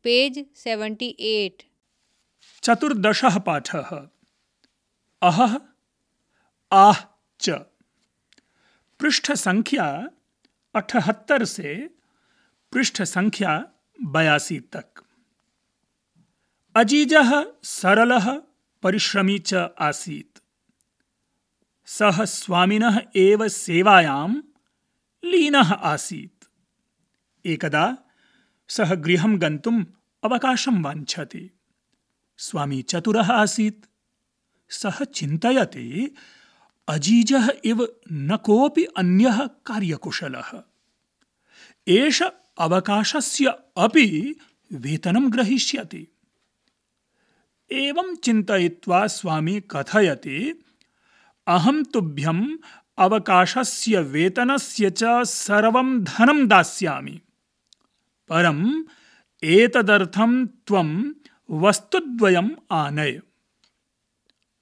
Page 78। चतुर्दशः पाठः। अहः आह च। पृष्ठ संख्या 78 से पृष्ठ संख्या 82 तक। अजीजः सरलः परिश्रमी च आसीत्। सः स्वामिनः एव सेवायां लीनः आसीत्। एकदा सः गृहं गन्तुम् अवकाशं वाञ्छति। स्वामी चतुरः आसीत्। सः चिन्तयति अजीजः इव न कोऽपि अन्यः कार्यकुशलः। एष अवकाशस्य अपि वेतनं ग्रहीष्यति। एवं चिन्तयित्वा स्वामी कथयति, अहं तुभ्यम् अवकाशस्य वेतनस्य च सर्वं धनं दास्यामि, परम् एतदर्थं त्वं वस्तुद्वयम् आनय।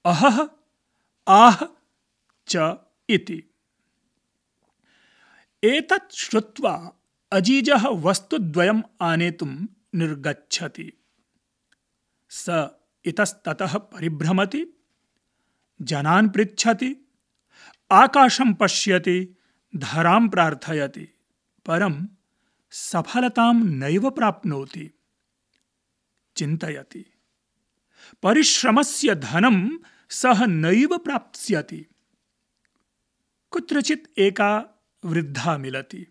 अहः आह च इति। एतत् श्रुत्वा अजीजः वस्तुद्वयम् आनेतुं निर्गच्छति। स इतस्ततः परिभ्रमति, जनान् पृच्छति, आकाशं पश्यति, धरां प्रार्थयति, परं सफलतां नैव प्राप्नोति। चिन्तयति, परिश्रमस्य धनं सः नैव प्राप्स्यति। कुत्रचित् एका वृद्धा मिलति।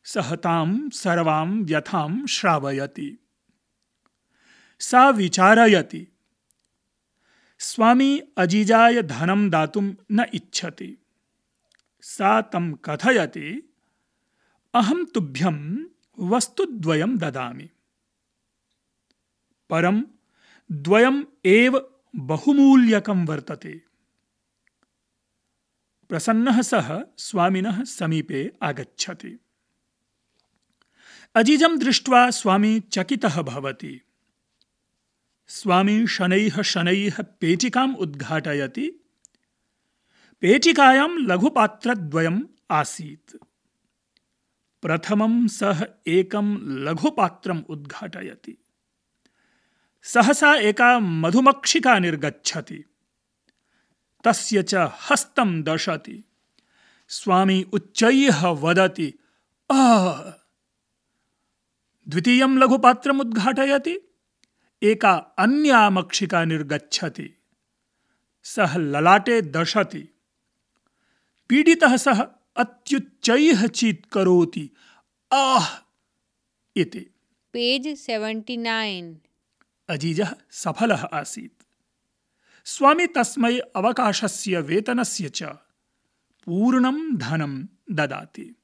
सः तां सर्वां व्यथां श्रावयति। सा विचारयति, स्वामी अजीजाय धनं दातुं न इच्छति। सा तं कथयति, अहं तुभ्यं वस्तुद्वयं ददामि, परं द्वयम् एव बहुमूल्यकं वर्तते। प्रसन्नः सः स्वामिनः समीपे आगच्छति। अजीजं दृष्ट्वा स्वामी चकितः भवति। स्वामी शनैः शनैः पेटिकाम् उद्घाटयति। पेटिकायां लघुपात्रद्वयम् आसीत्। प्रथमं सः एकं लघुपात्रम् उद्घाटयति। सहसा एका मधुमक्षिका निर्गच्छति। तस्य च हस्तं दशति। स्वामी उच्चैः वदति, आह! द्वितीयं लघुपात्रम् उद्घाटयति। एका अन्या मक्षिका निर्गच्छति। सः ललाटे दशति। पीडितः सः अत्युच्चैः चीत्करोति, आह! इति। पेज 79। अजीजः सफलः आसीत्। स्वामी तस्मै अवकाशस्य वेतनस्य च पूर्णं धनं ददाति।